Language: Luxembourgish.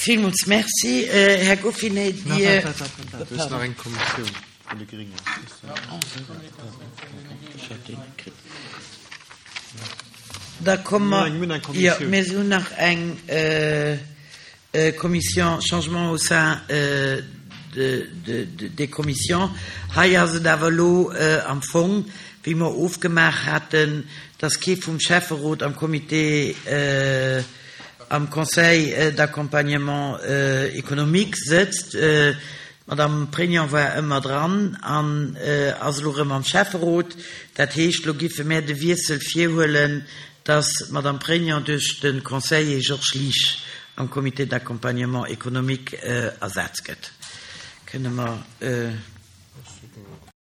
Villmools Merci, Här Goffinet. Dir. Waart, waart, waart, do ass nach eng Kommissioun vun de Gréngen. Da komme mer, jo, mir hunn nach eng Commission Changement au sein des commissions. Hei ass et awer elo am Fong, wéi mer ofgemaach haten, dass kee vum Schäfferot am Comité, am Conseil d'accompagnement économique sëtzt. D'Madame Prégnant war ëmmer dran an ass elo erëm am Schäfferot. Dat heescht, elo giffe mär de Wiessel virhuelen, dass d'Madame Prégnant duerch de Conseiller Georges Liesch am Comité d'accompagnement économique ersat gëtt. Kënne mer.